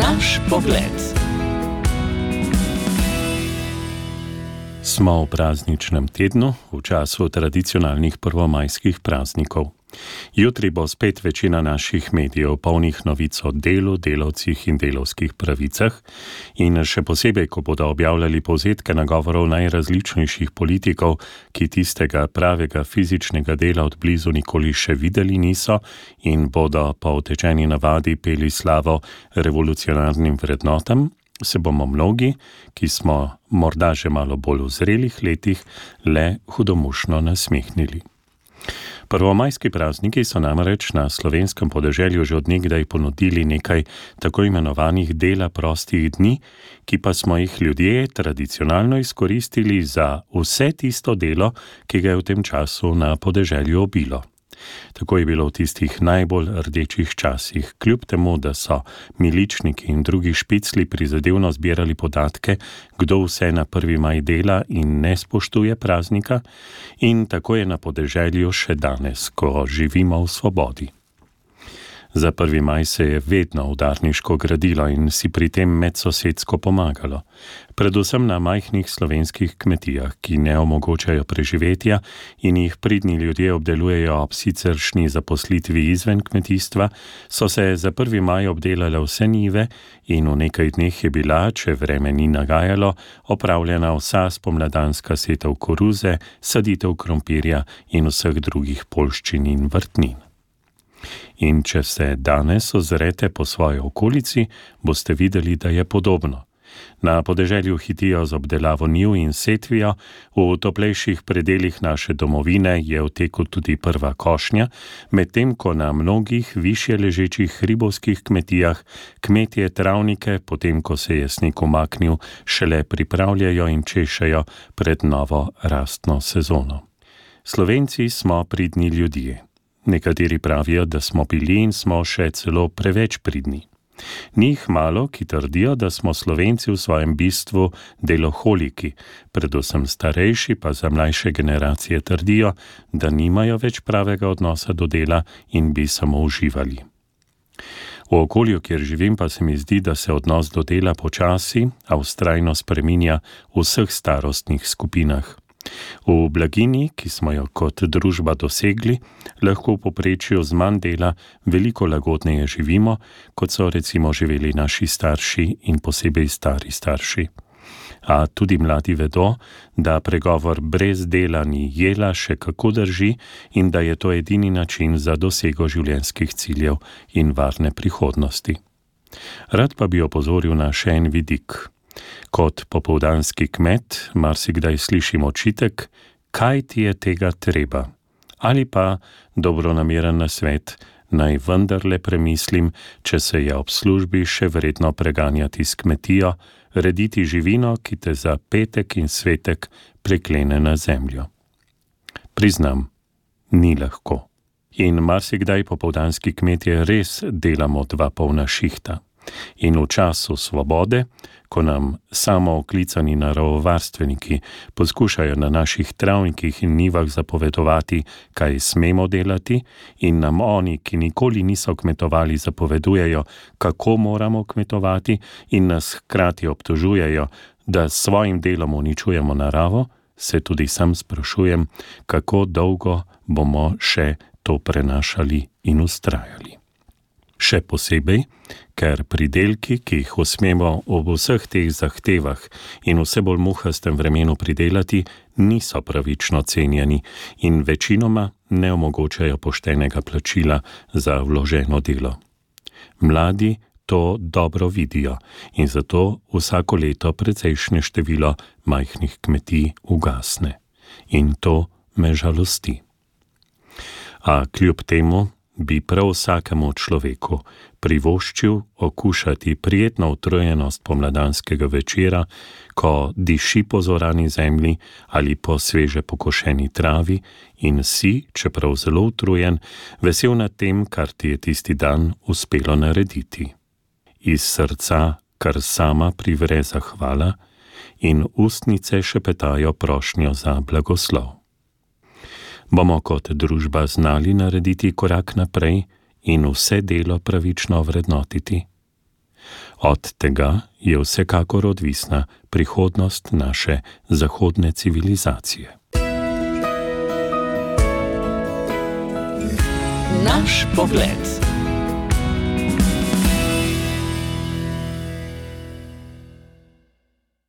Naš pogled. Smo v prazničnem tednu, v času tradicionalnih prvomajskih praznikov. Jutri bo spet večina naših medijev polnih novic o delu, delavcih in delavskih pravicah in še posebej, ko bodo objavljali povzetke nagovorov najrazličnejših politikov, ki tistega pravega fizičnega dela od blizu nikoli še videli niso in bodo po utečeni navadi peli slavo revolucionarnim vrednotam, se bomo mnogi, ki smo morda že malo bolj v zrelih letih, le hudomušno nasmehnili. Prvomajski prazniki so namreč na slovenskem podeželju že od nekdaj ponudili nekaj tako imenovanih dela prostih dni, ki pa smo jih ljudje tradicionalno izkoristili za vse tisto delo, ki ga je v tem času na podeželju obilo. Tako je bilo v tistih najbolj rdečih časih, kljub temu, da so miličniki in drugi špicli prizadevno zbirali podatke, kdo vse na 1. maj dela in ne spoštuje praznika, in tako je na podeželju še danes, ko živimo v svobodi. Za 1. maj se je vedno udarniško gradilo in si pri tem medsosedsko pomagalo. Predvsem na majhnih slovenskih kmetijah, ki ne omogočajo preživetja in jih pridni ljudje obdelujejo ob siceršnji zaposlitvi izven kmetijstva, so se za 1. maj obdelale vse njive in v nekaj dneh je bila, če vreme ni nagajalo, opravljena vsa spomladanska setev koruze, saditev krompirja in vseh drugih poljščin in vrtnin. In če se danes ozrete po svoji okolici, boste videli, da je podobno. Na podeželju hitijo z obdelavo njiv in setvijo, v toplejših predelih naše domovine je v teku tudi prva košnja, medtem ko na mnogih višje ležečih hribovskih kmetijah kmetje travnike, potem ko se je sneg umaknil, šele pripravljajo in češejo pred novo rastno sezono. Slovenci smo pridni ljudje. Nekateri pravijo, da smo bili in smo še celo preveč pridni. Ni jih malo, ki trdijo, da smo Slovenci v svojem bistvu deloholiki, predvsem starejši pa za mlajše generacije trdijo, da nimajo več pravega odnosa do dela in bi samo uživali. V okolju, kjer živim, pa se mi zdi, da se odnos do dela počasi, a vztrajno spreminja v vseh starostnih skupinah. V blaginji, ki smo jo kot družba dosegli, lahko v povprečju z manj dela veliko lagodneje živimo, kot so recimo živeli naši starši in posebej stari starši. A tudi mladi vedo, da pregovor brez dela ni jela še kako drži in da je to edini način za dosego življenjskih ciljev in varne prihodnosti. Rad pa bi opozoril na še en vidik. Kot popoldanski kmet marsikdaj slišim očitek, kaj ti je tega treba? Ali pa dobronameren nasvet, naj vendarle premislim, če se je ob službi še vredno preganjati s kmetijo, rediti živino, ki te za petek in svetek preklene na zemljo. Priznam, ni lahko. In marsikdaj popoldanski kmetje res delamo 2 polna šihta. In v času svobode, ko nam samooklicani naravovarstveniki poskušajo na naših travnikih in njivah zapovedovati, kaj smemo delati, in nam oni, ki nikoli niso kmetovali, zapovedujejo, kako moramo kmetovati, in nas hkrati obtožujejo, da s svojim delom uničujemo naravo, se tudi sam sprašujem, kako dolgo bomo še to prenašali in vztrajali. Še posebej, ker pridelki, ki jih usmemo ob vseh teh zahtevah in vse bolj muhastem vremenu pridelati, niso pravično cenjeni in večinoma ne omogočajo poštenega plačila za vloženo delo. Mladi to dobro vidijo in zato vsako leto precejšnje število majhnih kmetij ugasne. In to me žalosti. A kljub temu bi prav vsakemu človeku privoščil okušati prijetno utrujenost pomladanskega večera, ko diši po zorani zemlji ali po sveže pokošeni travi in si, čeprav zelo utrujen, vesel nad tem, kar ti je tisti dan uspelo narediti. Iz srca kar sama privre zahvala in ustnice šepetajo prošnjo za blagoslov. Bomo kot družba znali narediti korak naprej in vse delo pravično vrednotiti? Od tega je vsekakor odvisna prihodnost naše zahodne civilizacije. Naš pogled.